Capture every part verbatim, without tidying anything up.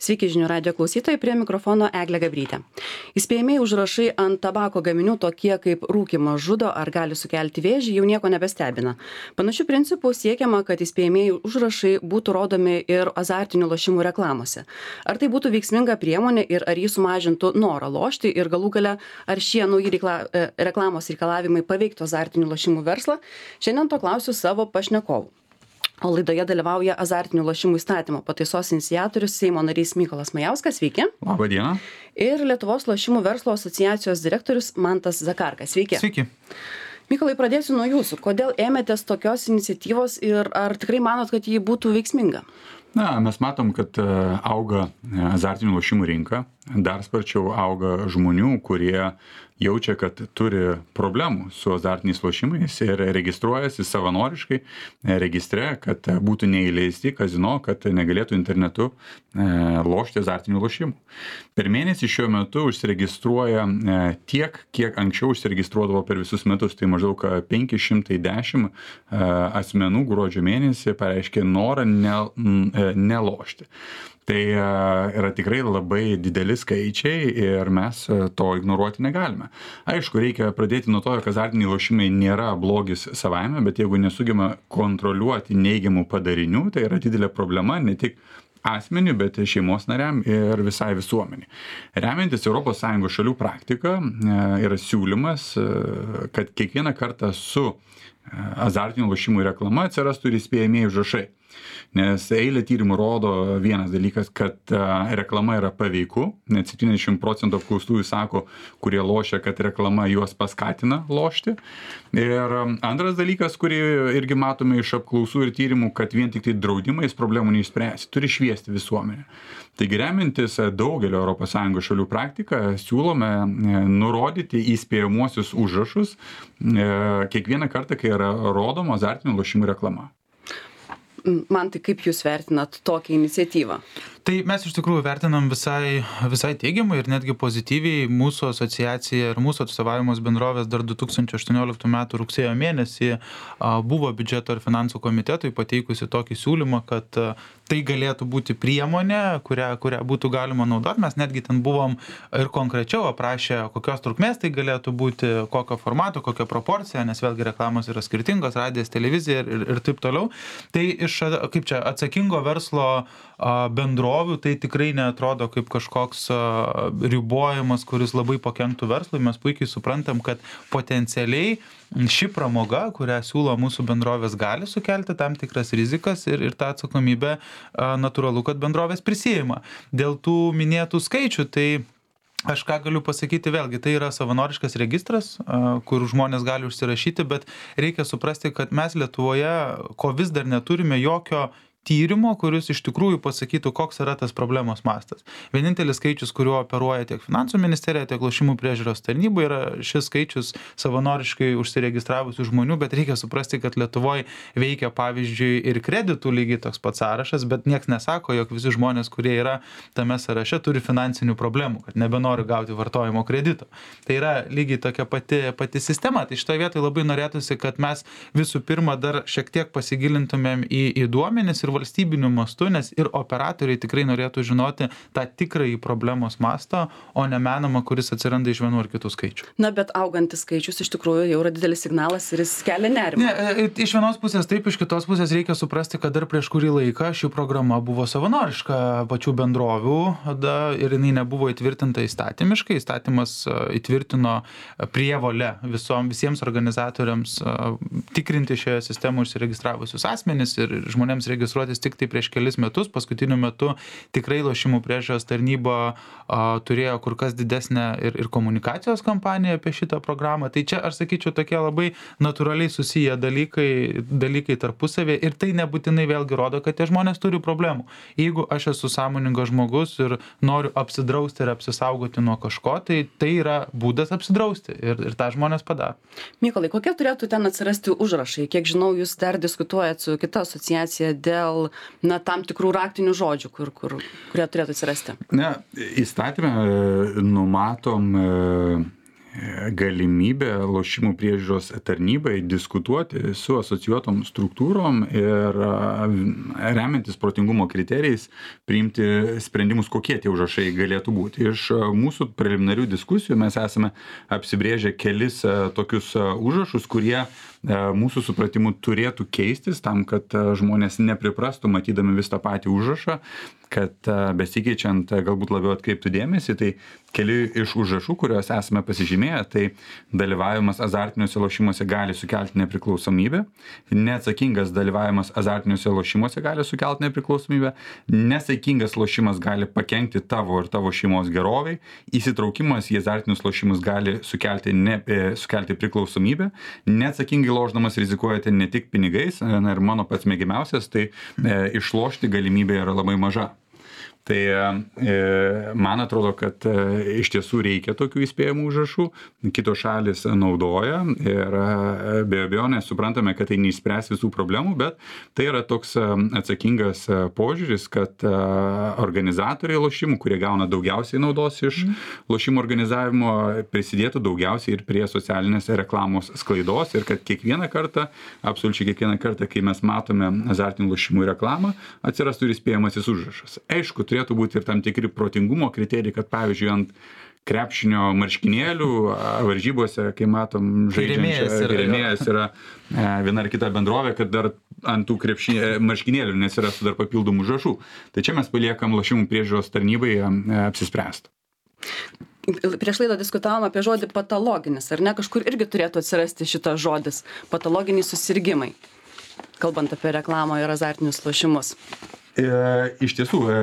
Sveiki žinių radio klausytojai, prie mikrofono Eglė Gabrytė. Įspėjamieji užrašai ant tabako gaminių tokie kaip rūkymas žudo ar gali sukelti vėžį jau nieko nebestebina. Panašių principų siekiama, kad įspėjamieji užrašai būtų rodomi ir azartinių lošimų reklamose. Ar tai būtų veiksminga priemonė ir ar jį sumažintų norą lošti ir galų gale ar šie nauji reikla, reklamos reikalavimai paveiktų azartinių lošimų verslą? Šiandien to klausiu savo pašnekovų. O laidoje dalyvauja azartinių lošimų įstatymo pataisos iniciatorius Seimo narys Mykolas Majauskas, sveiki. Labą dieną. Ir Lietuvos lošimų verslo asociacijos direktorius Mantas Zakarkas, sveiki. Sveiki. Mykolai, pradėsiu nuo jūsų. Kodėl ėmėtės tokios iniciatyvos ir ar tikrai manot, kad ji būtų veiksminga? Na, mes matom, kad auga azartinių lošimų rinka, dar sparčiau auga žmonių, kurie jaučia, kad turi problemų su azartiniais lošimais ir registruojasi savanoriškai registre, kad būtų neįleisti kazino, kad negalėtų internetu lošti azartinių lošimų. Per mėnesį šiuo metu užsiregistruoja tiek, kiek anksčiau užsiregistruodavo per visus metus, tai maždaug penki šimtai dešimt asmenų gruodžio mėnesį pareiškė norą nelošti. Tai yra tikrai labai dideli skaičiai ir mes to ignoruoti negalime. Aišku, reikia pradėti nuo to, jog azartiniai lošimai nėra blogis savaime, bet jeigu nesugeba kontroliuoti neigiamų padarinių, tai yra didelė problema ne tik asmeniui, bet šeimos nariam ir visai visuomeniai. Remiantis Europos Sąjungos šalių praktika yra siūlymas, kad kiekvieną kartą su azartinių lošimų reklama atsirastų ir įspėjamieji užrašai. Nes eilė tyrimų rodo vienas dalykas, kad reklama yra paveiku, net septyniasdešimt procentų apklaustųjų sako, kurie lošia, kad reklama juos paskatina lošti. Ir antras dalykas, kurį irgi matome iš apklausų ir tyrimų, kad vien tik tai draudimais problemų neišspręsi, turi šviesti visuomenę. Taigi remiantis daugelio Europos Sąjungos šalių praktiką, siūlome nurodyti įspėjamuosius užrašus kiekvieną kartą, kai yra rodoma azartinių lošimų reklama. Man tai kaip jūs vertinat tokią iniciatyvą? Tai mes iš tikrųjų vertinam visai, visai teigiamai ir netgi pozityviai. Mūsų asociacija ir mūsų atstovavimas bendrovės dar du tūkstančiai aštuonioliktų metų rugsėjo mėnesį buvo biudžeto ir finansų komitetui pateikusi tokį siūlymą, kad tai galėtų būti priemonė, kurią, kurią būtų galima naudoti. Mes netgi ten buvom ir konkrečiau aprašę, kokios trukmės tai galėtų būti, kokio formato, kokia proporcija, nes vėlgi reklamos yra skirtingos, radijas, televizija ir, ir taip toliau. Tai iš, kaip čia, atsakingo verslo bendrovių tai tikrai neatrodo kaip kažkoks ribojimas, kuris labai pakenktų verslui. Mes puikiai suprantam, kad potencialiai ši pramoga, kurią siūlo mūsų bendrovės, gali sukelti tam tikras rizikas ir, ir tą atsakomybę natūralu, kad bendrovės prisijima. Dėl tų minėtų skaičių, tai aš ką galiu pasakyti, vėlgi, tai yra savanoriškas registras, kur žmonės gali užsirašyti, bet reikia suprasti, kad mes Lietuvoje, ko vis dar neturime jokio tyrimo, kuris iš tikrųjų pasakytų, koks yra tas problemos mastas. Vienintelis skaičius, kuriuo operuoja tiek finansų ministerija, tiek lošimų priežiūros tarnyba, yra šis skaičius savanoriškai užsiregistravusių žmonių, bet reikia suprasti, kad Lietuvoje veikia, pavyzdžiui, ir kreditų lygiai toks pats sąrašas, bet nieks nesako, jog visi žmonės, kurie yra tame sąraše, turi finansinių problemų, kad nebenori gauti vartojimo kredito. Tai yra lygiai tokia pati, pati sistema. Tai šitoje vietoje labai norėtųsi, kad mes visų pirma dar šiek tiek pasigilintumėm į, į duomenis ir valstybiniu mastu, nes ir operatoriai tikrai norėtų žinoti tą tikrąjį problemos mastą, o ne menamą, kuris atsiranda iš vienų ar kitų skaičių. Na, bet augantis skaičius iš tikrųjų jau yra didelis signalas ir jis kelia nerimą. Ne, iš vienos pusės taip, iš kitos pusės reikia suprasti, kad dar prieš kurį laiką ši programa buvo savanoriška pačių bendrovių da, ir jinai nebuvo įtvirtinta įstatymiškai. Įstatymas įtvirtino prievolę visom, visiems organizatoriams tikrinti šioje sistemoje užsiregistravusius asmenis ir žmonėms registruoti tik tai prieš kelis metus. Paskutiniu metu tikrai lošimų priežiūros tarnyba a, turėjo kur kas didesnę ir, ir komunikacijos kampaniją apie šitą programą. Tai čia, aš sakyčiau, tokie labai natūraliai susiję dalykai, dalykai tarpusavėje ir tai nebūtinai vėlgi rodo, kad tie žmonės turi problemų. Jeigu aš esu sąmoningas žmogus ir noriu apsidrausti ir apsisaugoti nuo kažko, tai tai yra būdas apsidrausti ir, ir tą žmonės padaro. Mykolai, kokie turėtų ten atsirasti užrašai? Kiek žinau, jūs dar diskutuojat su kita asociacija dėl na, tam tikrų raktinių žodžių, kur, kur, kurie turėtų atsirasti? Ne, įstatymę numatom galimybė lošimų priežiūros tarnybai diskutuoti su asocijuotom struktūrom ir remiantis protingumo kriterijais priimti sprendimus, kokie tie užrašai galėtų būti. Iš mūsų preliminarių diskusijų mes esame apsibrėžę kelis tokius užrašus, kurie mūsų supratimu turėtų keistis tam, kad žmonės nepriprastų matydami vis tą patį užrašą, kad besikeičiant galbūt labiau atkreiptų dėmesį. Tai keli iš užrašų, kuriuos esame pasižymėję, tai dalyvavimas azartiniuose lošimuose gali sukelti nepriklausomybę, neatsakingas dalyvavimas azartiniuose lošimuose gali sukelti nepriklausomybę, nesaikingas lošimas gali pakenkti tavo ir tavo šeimos geroviai, įsitraukimas į azartinius lošimus gali sukelti, ne, sukelti priklausomybę, neatsakingai lošdamas rizikuojate ne tik pinigais, na ir mano pats mėgiamiausias, tai e, išlošti galimybė yra labai maža. Tai e, man atrodo, kad e, iš tiesų reikia tokių įspėjimų užrašų, kitos šalis naudoja ir e, be abejonės suprantame, kad tai neišspręs visų problemų, bet tai yra toks e, atsakingas e, požiūris, kad e, organizatoriai lošimų, kurie gauna daugiausiai naudos iš mm. lošimų organizavimo, prisidėtų daugiausiai ir prie socialinės reklamos sklaidos ir kad kiekvieną kartą, absoliučiai kiekvieną kartą, kai mes matome azartinių lošimų reklamą, atsirastų ir įspėjamasis užrašas. Aišku, turėtų būti ir tam tikri protingumo kriterijai, kad pavyzdžiui ant krepšinio marškinėlių varžybose, kai matom žaidžiančią rėmėjas yra viena ar kita bendrovė, kad dar ant tų krepšinė, marškinėlių nesirastų dar papildomų užrašų. Tai čia mes paliekam lošimų priežiūros tarnybai apsispręsti. Prieš laidą diskutavom apie žodį patologinis, ar ne? Kažkur irgi turėtų atsirasti šitas žodis patologiniai susirgimai, kalbant apie reklamą ir azartinius lošimus. E, iš tiesų, e,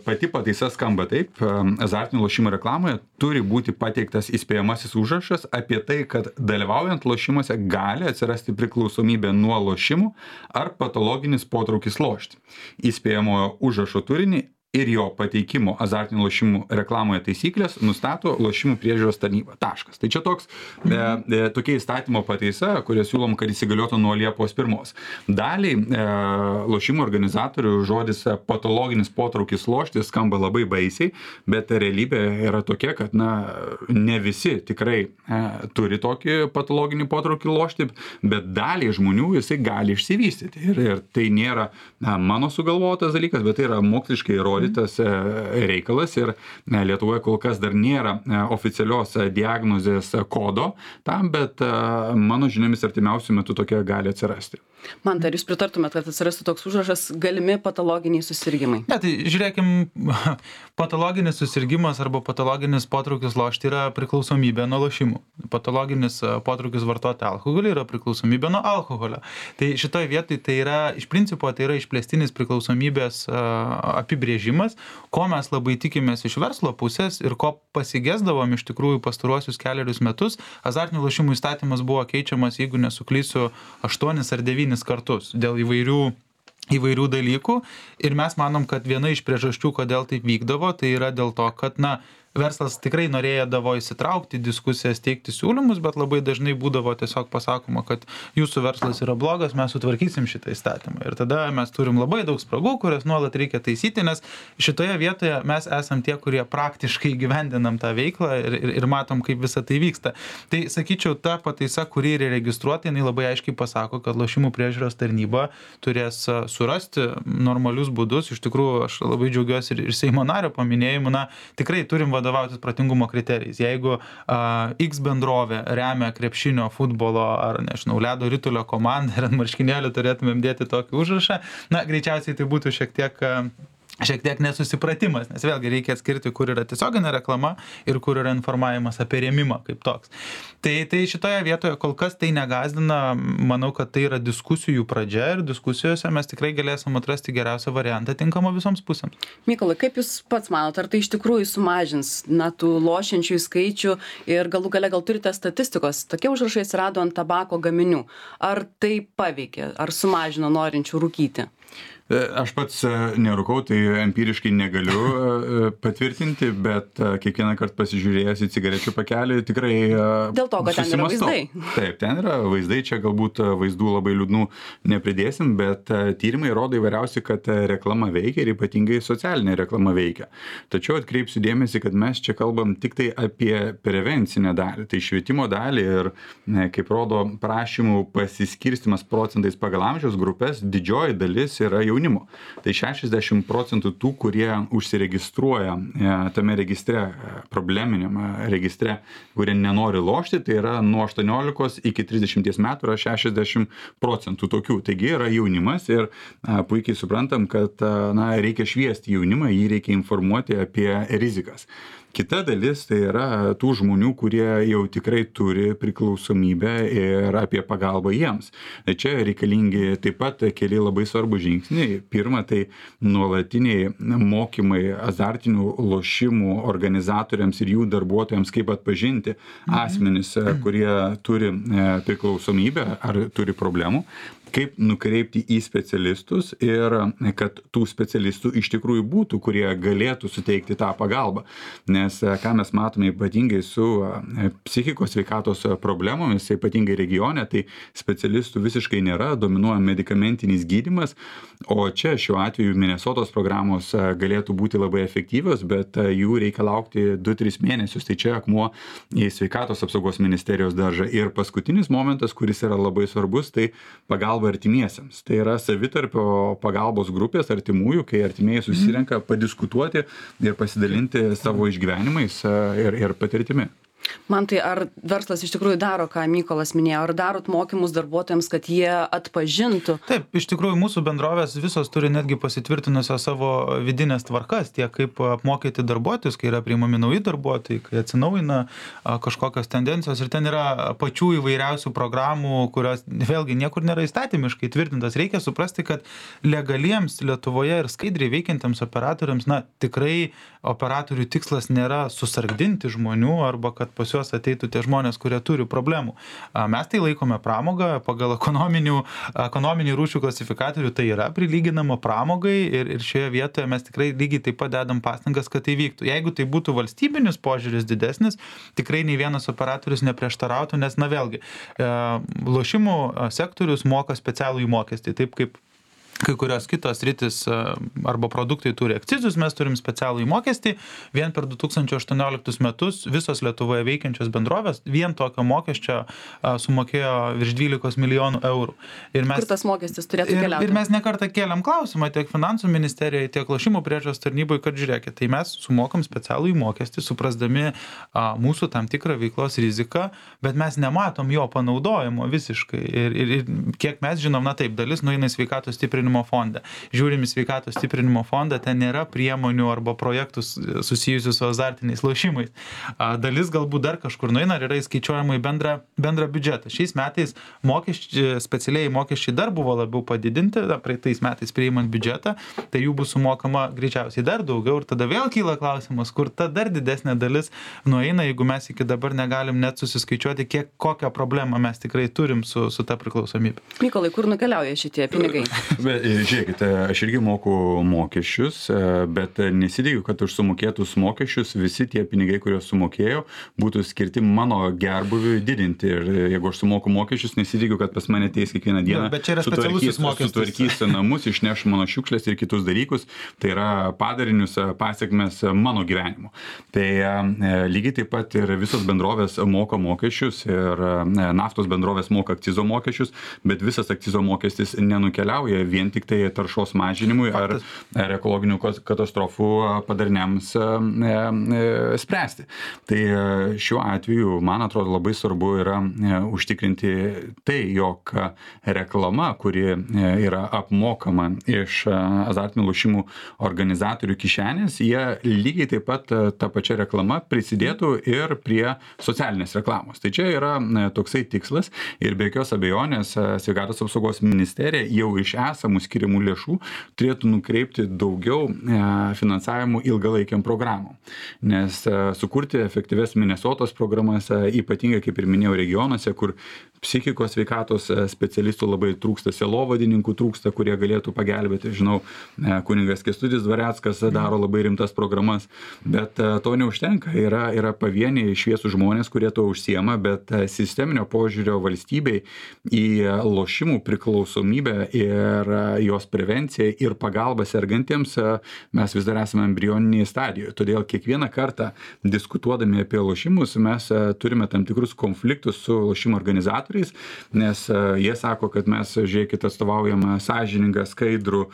pati pataisa skamba taip, e, azartinių lošimų reklamoje turi būti pateiktas įspėjamasis užrašas apie tai, kad dalyvaujant lošimuose gali atsirasti priklausomybė nuo lošimų ar patologinis potraukis lošti. Įspėjamojo užrašo turinį ir jo pateikimo azartinių lošimų reklamoje taisyklės nustato lošimų priežiūros tarnyba. Taškas. Tai čia toks, e, e, tokia įstatymo pataisa, kurie siūlom, kad įsigaliotų nuo Liepos pirmos. Daliai e, lošimų organizatorių žodis patologinis potraukis lošti skamba labai baisiai, bet realybė yra tokia, kad na, ne visi tikrai e, turi tokį patologinį potraukį lošti, bet daliai žmonių jisai gali išsivystyti. Ir, ir tai nėra na, mano sugalvotas dalykas, bet tai yra moksliškai įrodytas reikalas ir Lietuvoje kol kas dar nėra oficialios diagnozės kodo tam, bet mano žiniomis artimiausių metų tokia gali atsirasti. Man, ar jūs pritartumėt, kad atsirastų toks užrašas galimi patologiniai susirgymai? Ne, tai žiūrėkim, patologinis susirgymas arba patologinis potraukis lošti yra priklausomybė nuo lošimų. Patologinis potraukis vartoti alkoholį yra priklausomybė nuo alkoholio. Tai šitoje vietoje tai yra, iš principo, tai yra išplėstinis priklausomybės apibrėžimas, ko mes labai tikimės iš verslo pusės ir ko pasigesdavom iš tikrųjų pastaruosius keliarius metus. Azartinių lošimų įstatymas buvo keičiamas, jeigu nesuklysiu, aštuonis ar devynis kartus dėl įvairių įvairių dalykų ir mes manom, kad viena iš priežasčių, kodėl taip vykdavo, tai yra dėl to, kad, na, verslas tikrai norėdavo įsitraukti į diskusijas, teikti siūlymus, bet labai dažnai būdavo tiesiog pasakoma, kad jūsų verslas yra blogas, mes sutvarkysim šitą įstatymą. Ir tada mes turim labai daug spragų, kurias nuolat reikia taisyti, nes šitoje vietoje mes esam tie, kurie praktiškai gyvendinam tą veiklą ir, ir, ir matom, kaip visa tai vyksta. Tai sakyčiau, ta pataisa, kuri yra registruota, jinai labai aiškiai pasako, kad lošimų priežiūros tarnyba turės surasti normalius būdus. Iš tikrųjų, aš labai džiaugiuosi ir, ir Seimo nario paminėjimu, na, tikrai turim vadovautis protingumo kriterijais. Jeigu a, X bendrovė remia krepšinio, futbolo ar, nežinau, ledo ritulio komandą ir ant marškinėlių turėtumėm dėti tokį užrašą, na, greičiausiai tai būtų šiek tiek a, šiek tiek nesusipratimas, nes vėlgi reikia atskirti, kur yra tiesioginė reklama ir kur yra informavimas apie rėmimą kaip toks. Tai, tai šitoje vietoje kol kas tai negazdina, manau, kad tai yra diskusijų pradžia ir diskusijose mes tikrai galėsim atrasti geriausią variantą tinkamą visoms pusėms. Mykolai, kaip jūs pats manot, ar tai iš tikrųjų sumažins na, tų lošiančių skaičių ir galų gale gal turite statistikos, tokie užrašai atsirado ant tabako gaminių, ar tai paveikė, ar sumažino norinčių rūkyti? Aš pats nerūkau, tai empiriškai negaliu patvirtinti, bet kiekvieną kartą pasižiūrėjęs į cigarečių pakelį tikrai Dėl to, kad ten yra vaizdai. Taip, ten yra vaizdai, čia galbūt vaizdų labai liūdnų nepridėsim, bet tyrimai rodo įvairiausi, kad reklama veikia ir ypatingai socialinė reklama veikia. Tačiau atkreipsiu dėmesį, kad mes čia kalbam tik tai apie prevencinę dalį, tai švietimo dalį ir, kaip rodo prašymų pasiskirstimas procentais pagal amžiaus grupės, didžioji dalis yra jaunimo. Tai šešiasdešimt procentų tų, kurie užsiregistruoja tame registre, probleminiam registre, kurie nenori lošti, tai yra nuo aštuoniolikos iki trisdešimties metų yra šešiasdešimt procentų tokių. Taigi yra jaunimas ir a, puikiai suprantam, kad a, na, reikia šviesti jaunimą, jį reikia informuoti apie rizikas. Kita dalis tai yra tų žmonių, kurie jau tikrai turi priklausomybę ir apie pagalbą jiems. Tai čia reikalingi taip pat keli labai svarbų žingsniai. Pirma, tai nuolatiniai mokymai azartinių lošimų organizatoriams ir jų darbuotojams, kaip atpažinti asmenis, kurie turi priklausomybę ar turi problemų, kaip nukreipti į specialistus ir kad tų specialistų iš tikrųjų būtų, kurie galėtų suteikti tą pagalbą. Nes ką mes matome ypatingai su psichikos sveikatos problemomis, ypatingai regione, tai specialistų visiškai nėra, dominuoja medikamentinis gydymas, o čia šiuo atveju Minesotos programos galėtų būti labai efektyvios, bet jų reikia laukti du tris mėnesius. Tai čia akmuo į sveikatos apsaugos ministerijos daržą. Ir paskutinis momentas, kuris yra labai svarbus, tai pagalba artimiesiems. Tai yra savitarpio pagalbos grupės artimųjų, kai artimieji susirenka padiskutuoti ir pasidalinti savo išgyvenimais ir, ir patirtimi. Man tai ar verslas iš tikrųjų daro, ką Mykolas minėjo, ar darot mokymus darbuotojams, kad jie atpažintų? Taip, iš tikrųjų mūsų bendrovės visos turi netgi pasitvirtinusios savo vidinės tvarkas, tiek kaip apmokyti darbuotojus, kai yra priimami nauji darbuotojai, kai atsinaujina kažkokios tendencijos ir ten yra pačių įvairiausių programų, kurios vėlgi niekur nėra įstatymiškai tvirtintas. Reikia suprasti, kad legaliems Lietuvoje ir skaidriai veikiantiems operatoriams, na, tikrai operatorių tikslas nėra susargdinti žmonių arba kad pas juos ateitų tie žmonės, kurie turi problemų. Mes tai laikome pramogą, pagal ekonominį rūšių klasifikatorių tai yra prilyginama pramogai ir, ir šioje vietoje mes tikrai lygiai taip pat dedam pastangas, kad tai vyktų. Jeigu tai būtų valstybinis požiūris didesnis, tikrai nei vienas operatorius neprieštarautų, nes, na vėlgi, lošimų sektorius moka specialų įmokestį, taip kaip kai kurios kitos sritis arba produktai turi akcizus, mes turim specialų įmokestį. Vien per du tūkstančiai aštuonioliktus metus visos Lietuvoje veikiančios bendrovės vien tokio mokesčio sumokėjo virš dvylikos milijonų eurų. Ir mes, Kur tas mokestis turėtų ir, keliauti? ir mes nekartą kėlėm klausimą tiek finansų ministerijai, tiek lošimų priežiūros tarnybai, kad žiūrėkit, tai mes sumokam specialų įmokestį, suprasdami a, mūsų tam tikrą veiklos riziką, bet mes nematom jo panaudojimo visiškai. Ir, ir, ir kiek mes žinom, na taip, dalis nueina į sveikatos stiprinimo fondą. Žiūrim į sveikatos stiprinimo fondą, ten nėra priemonių arba projektų susijusių su azartiniais lošimais. Dalis galbūt dar kažkur nueina ir yra įskaičiuojama į bendrą, bendrą biudžetą. Šiais metais mokesčiai, specialiai mokesčiai dar buvo labiau padidinti, praeitais metais priimant biudžetą, tai jų bus sumokama greičiausiai dar daugiau ir tada vėl kyla klausimas, kur ta dar didesnė dalis nueina, jeigu mes iki dabar negalim net susiskaičiuoti, kiek, kokią problemą mes tikrai turim su, su ta priklausomybė. Mykolai, kur nukeliauja šitie pinigai? Žiūrėkite, aš irgi moku mokesčius, bet nesidėgiu, kad už sumokėtus mokesčius visi tie pinigai, kuriuos sumokėjau, būtų skirti mano gerbuviui didinti. Ir jeigu aš sumoku mokesčius, nesidėgiu, kad pas mane ateis kiekvieną dieną, bet čia yra specialusis mokestis, sutvarkys namus, išneš mano šiukšlės ir kitus dalykus. Tai yra padarinius, pasiekmes mano gyvenimo. Tai lygiai taip pat ir visos bendrovės moka mokesčius ir naftos bendrovės moka akcizo mokesčius, bet visas akcizo mokestis nenukeliauja vien tik tai taršos mažinimui ar, ar ekologinių katastrofų padariniams e, e, spręsti. Tai šiuo atveju, man atrodo, labai svarbu yra e, užtikrinti tai, jog reklama, kuri e, yra apmokama iš azartinių lošimų organizatorių kišenės, jie lygiai taip pat tą pačią reklamą prisidėtų ir prie socialinės reklamos. Tai čia yra e, toksai tikslas ir be jokios abejonės sveikatos apsaugos ministerija jau iš esamų esamų skiriamų lėšų turėtų nukreipti daugiau finansavimų ilgalaikiam programom. Nes sukurti efektyves Minnesotos programas, ypatingai, kaip ir minėjau, regionuose, kur psichikos sveikatos specialistų labai trūksta, sielovadininkų trūksta, kurie galėtų pagelbėti. Žinau, kuningas Kęstutis Dvareckas daro labai rimtas programas, bet to neužtenka. Yra, yra pavieniai šviesų žmonės, kurie to užsiema, bet sisteminio požiūrio valstybei į lošimų priklausomybę ir jos prevenciją ir pagalbą sergantiems mes vis dar esame embrioninėje stadijoje. Todėl kiekvieną kartą diskutuodami apie lošimus mes turime tam tikrus konfliktus su lošimo organizatoriais, nes jie sako, kad mes, žiūrėkit, atstovaujame sąžiningą, skaidrų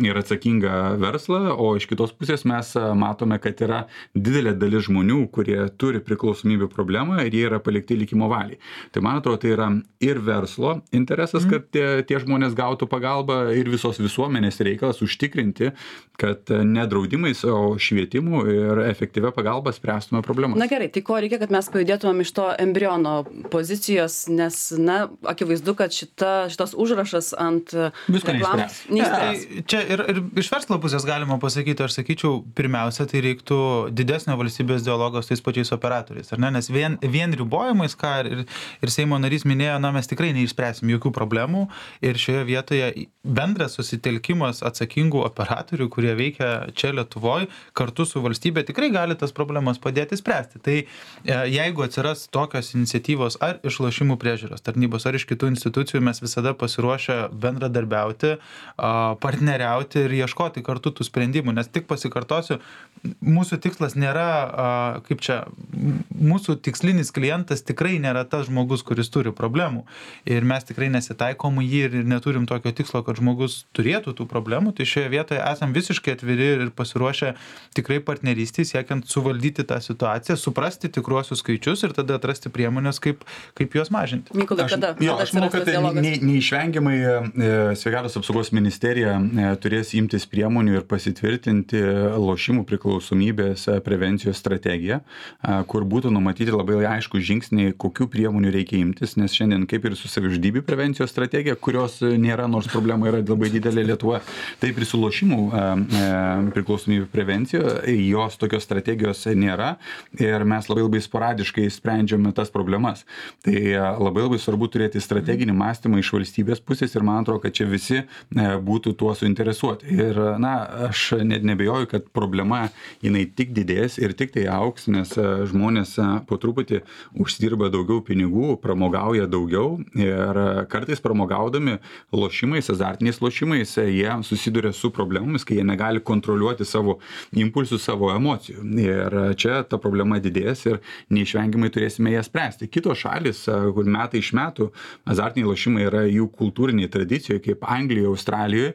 ir atsakingą verslą, o iš kitos pusės mes matome, kad yra didelė dalis žmonių, kurie turi priklausomybių problemą ir jie yra palikti likimo valiai. Tai man atrodo, tai yra ir verslo interesas, kad tie, tie žmonės gautų pagalbą ir visos visuomenės reikalas užtikrinti, kad ne draudimais, o švietimu ir efektyvia pagalba spręstume problemas. Na gerai, tai ko reikia, kad mes pajudėtumėm iš to embriono pozicijos, nes, na, akivaizdu, kad šita, šitas užrašas ant reklamos neišspręs. Čia ir, ir iš verslo pusės galima pasakyti, aš sakyčiau, pirmiausia, tai reiktų didesnio valstybės dialogo su tais pačiais operatoriais, ar ne? Nes vien, vien ribojimais, ką ir, ir Seimo narys minėjo, na, mes tikrai neišspręsim jokių problemų ir šioje vietoje bendras susitelkimas atsakingų operatorių, kurie veikia čia Lietuvoje, kartu su valstybė tikrai gali tas problemas padėti spręsti. Tai jeigu atsiras tokios iniciatyvos ar iš lošimų priežiūros tarnybos, ar iš kitų institucijų, mes visada pasiruošę bendradarbiauti, partneriauti ir ieškoti kartu tų sprendimų, nes tik pasikartosiu, mūsų tikslas nėra, kaip čia, mūsų tikslinis klientas tikrai nėra tas žmogus, kuris turi problemų ir mes tikrai nesitaikom jį ir neturim tokio tikslo, kad žmogus turėtų tų problemų, tai šioje vietoje esam visiškai atviri ir pasiruošę tikrai partnerystį, siekiant suvaldyti tą situaciją, suprasti tikruosius skaičius ir tada atrasti priemonės, kaip, kaip juos mažinti. Mykolai, kada? Jo, aš manau, kad ne, neišvengiamai Sveikatos apsaugos ministerija turės imtis priemonių ir pasitvirtinti lošimų priklausomybės prevencijos strategiją, kur būtų numatyti labai aišku žingsniai, kokių priemonių reikia imtis, nes šiandien kaip ir su savižudybių prevencijos strategija, kurios nėra, nors problema yra labai didelė Lietuvoje, taip ir su lošimų priklausomybių prevencijoje, jos tokios strategijos nėra ir mes labai labai sporadiškai sprendžiame tas problemas. Tai labai labai svarbu turėti strateginį mąstymą iš valstybės pusės ir man atrodo, kad čia visi būtų tuo suinteresuoti. Ir na, aš net nebejoju, kad problema jinai tik didės ir tik tai auks, nes žmonės po truputį užsidirba daugiau pinigų, pramogauja daugiau ir kartais pramogaudami lošimais, azartiniais lošimais, jie susiduria su problemomis, kai jie negali kontroliuoti savo impulsų, savo emocijų. Ir čia ta problema didės ir neišvengiamai turėsime ją spręsti. Kitos šalis, kur metai iš metų azartiniai lošimai yra jų kultūriniai tradicijoje, kaip Anglijoje, Australijoje,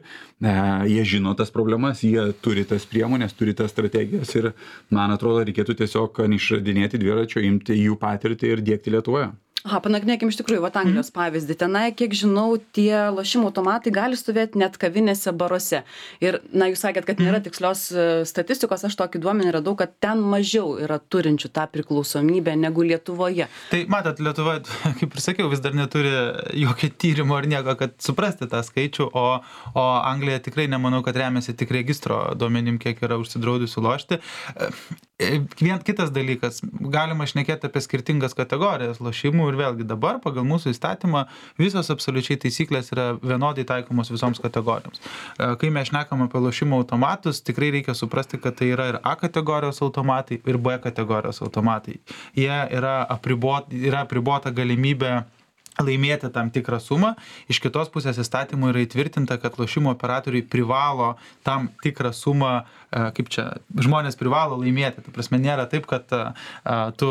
jie žino tas problemas, jie turi tas priemonės, turi tas strategijas ir man atrodo, reikėtų tiesiog neišradinėti dviračio, imti jų patirtį ir diegti Lietuvoje. Aha, panagrinėkim iš tikrųjų, va, Anglijos pavyzdį. Tenai, kiek žinau, tie lošimų automatai gali stovėti net kavinėse, baruose. Ir, na, jūs sakėt, kad nėra tikslios statistikos, aš tokį duomenį radau, kad ten mažiau yra turinčių tą priklausomybę negu Lietuvoje. Tai matot, Lietuva, kaip ir sakiau, vis dar neturi jokio tyrimo ar nieko, kad suprasti tą skaičių, o, o Anglija tikrai nemanau, kad remiasi tik registro duomenim, kiek yra užsidraudusių lošti. Vien kitas dalykas, galima šnekėti apie skirtingas kategorijas lošimų ir vėlgi dabar pagal mūsų įstatymą visos absoliučiai taisyklės yra vienodai taikomos visoms kategorijoms. Kai mes šnekam apie lošimo automatus, tikrai reikia suprasti, kad tai yra ir A kategorijos automatai, ir B kategorijos automatai. Jie yra apribota, yra apribota galimybė laimėti tam tikrą sumą. Iš kitos pusės įstatymų yra įtvirtinta, kad lošimo operatoriai privalo tam tikrą sumą, kaip čia, žmonės privalo laimėti. Tai prasme, nėra taip, kad tu,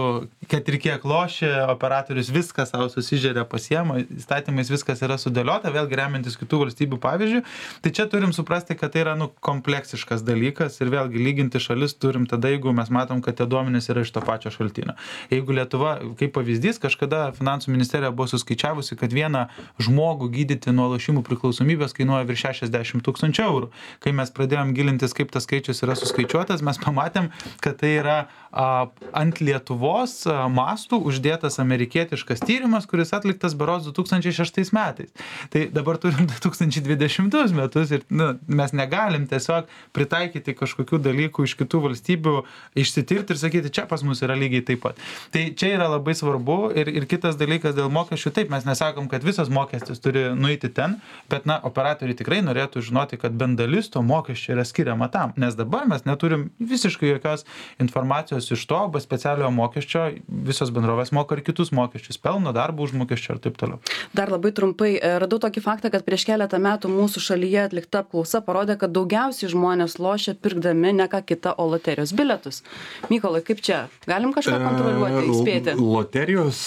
kad ir kiek loši, operatorius viską savo susižeria, pasiema, įstatymais viskas yra sudėliota, vėlgi remiantis kitų valstybių pavyzdžių. Tai čia turim suprasti, kad tai yra nu, kompleksiškas dalykas ir vėlgi lyginti šalis turim tada, jeigu mes matom, kad tie duomenys yra iš to pačio šaltinio. Jeigu Lietuva, kaip pavyzdys, kažkada finansų ministerija buvo suskaičiuota paskaičiavusi, kad vieną žmogų gydyti nuo lošimų priklausomybės kainuoja virš šešiasdešimt tūkstančių eurų. Kai mes pradėjom gilintis, kaip tas skaičius yra suskaičiuotas, mes pamatėm, kad tai yra a, ant Lietuvos a, mastų uždėtas amerikietiškas tyrimas, kuris atliktas berods du tūkstančiai šeštais metais. Tai dabar turim du tūkstančiai dvidešimtus metus ir nu, mes negalim tiesiog pritaikyti kažkokių dalykų iš kitų valstybių, išsitirti ir sakyti, čia pas mus yra lygiai taip pat. Tai čia yra labai svarbu ir, ir kitas dalykas dėl mokesčių, taip, mes nesakom, kad visas mokestis turi nueiti ten, bet na, operatoriai tikrai norėtų žinoti, kad bent dalis to mokesčio yra skiriama tam, nes dabar mes neturim visiškai jokios informacijos iš to, be specialiojo mokesčio, visos bendrovės moka ir kitus mokesčius, pelno, darbo užmokesčio ir taip toliau. Dar labai trumpai, radau tokį faktą, kad prieš keletą metų mūsų šalyje atlikta apklausa parodė, kad daugiausiai žmonės lošia pirkdami ne ką kitą, o loterijos bilietus. Mykolai, kaip čia? Galim kažką kontroliuoti, įspėti? Loterijos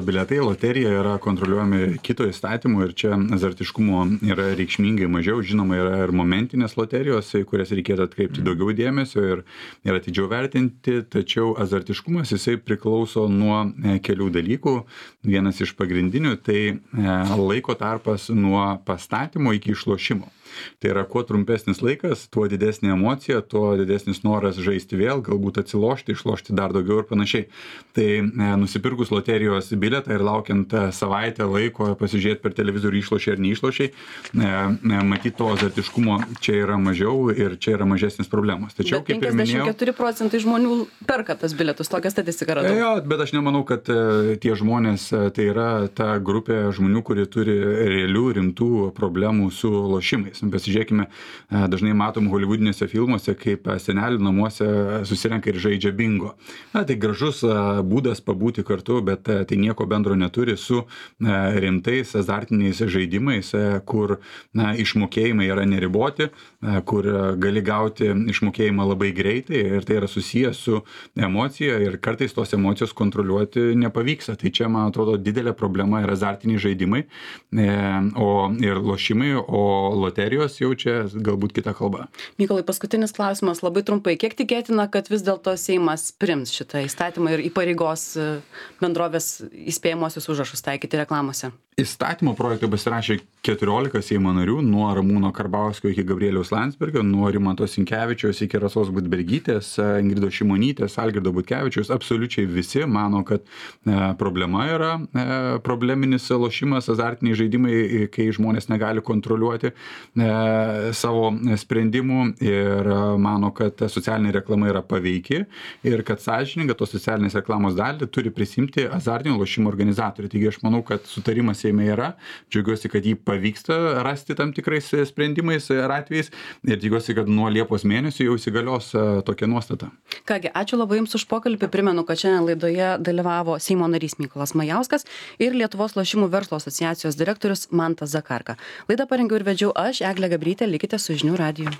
bilietai, loterija yra kontroliuojami kito įstatymu ir čia azartiškumo yra reikšmingai mažiau. Žinoma, yra ir momentinės loterijos, kurias reikėtų atkreipti daugiau dėmesio ir, ir atidžiau vertinti, tačiau azartiškumas jisai priklauso nuo kelių dalykų. Vienas iš pagrindinių tai laiko tarpas nuo pastatymo iki išlošimo. Tai yra, kuo trumpesnis laikas, tuo didesnė emocija, tuo didesnis noras žaisti vėl, galbūt atsilošti, išlošti dar daugiau ir panašiai. Tai e, nusipirkus loterijos bilietą ir laukiant savaitę laiko pasižiūrėti per televizorių išlošiai ar neišlošiai, e, matyti to azartiškumo čia yra mažiau ir čia yra mažesnis problemos. Tačiau, bet kaip ir minėjau, penkiasdešimt keturi procentai žmonių perka tas bilietus, tokią statistiką radau. Jo, bet aš nemanau, kad e, tie žmonės, e, tai yra ta grupė žmonių, kurie turi realių rimtų problemų su lošimais. Pasižiūrėkime, dažnai matom holivudinėse filmuose, kaip senelių namuose susirenka ir žaidžia bingo. Na, tai gražus būdas pabūti kartu, bet tai nieko bendro neturi su rimtais azartiniais žaidimais, kur na, išmokėjimai yra neriboti, kur gali gauti išmokėjimą labai greitai ir tai yra susijęs su emocija ir kartais tos emocijos kontroliuoti nepavyksta. Tai čia, man atrodo, didelė problema yra azartiniai žaidimai o, ir lošimai, o loterijos jau čia galbūt kita kalba. Mykolai, paskutinis klausimas, labai trumpai. Kiek tikėtina, kad vis dėlto Seimas priims šitą įstatymą ir įpareigos bendrovės įspėjamosius užrašus taikyti reklamose? Įstatymo projektą pasirašė keturiolika Seimo narių, nuo Ramūno Karbauskio iki Gabrieliaus Landsbergio, nuo Rimanto Sinkevičiaus iki Rasos Budbergytės, Ingridos Šimonytės, Algirdo Butkevičiaus. Absoliučiai visi mano, kad e, problema yra e, probleminis lošimas, azartiniai žaidimai, kai žmonės negali kontroliuoti e, savo sprendimų ir mano, kad socialinė reklama yra paveiki ir kad sąžininga tos socialinės reklamos dalį turi prisimti azartinio lošimo organizatoriai. Taigi aš manau, kad sutarimas Seime yra. Džiaugiuosi, kad jį pavyksta rasti tam tikrais sprendimais ar atvejais ir tikiuosi, kad nuo Liepos mėnesio jau įsigalios tokia nuostata. Kągi, ačiū labai Jums už pokalbį. Primenu, kad šiandien laidoje dalyvavo Seimo narys Mykolas Majauskas ir Lietuvos lošimų verslo asociacijos direktorius Mantas Zakarka. Laidą parengiau ir vedžiau aš, Eglė Gabrytė. Likite su Žinių radiju.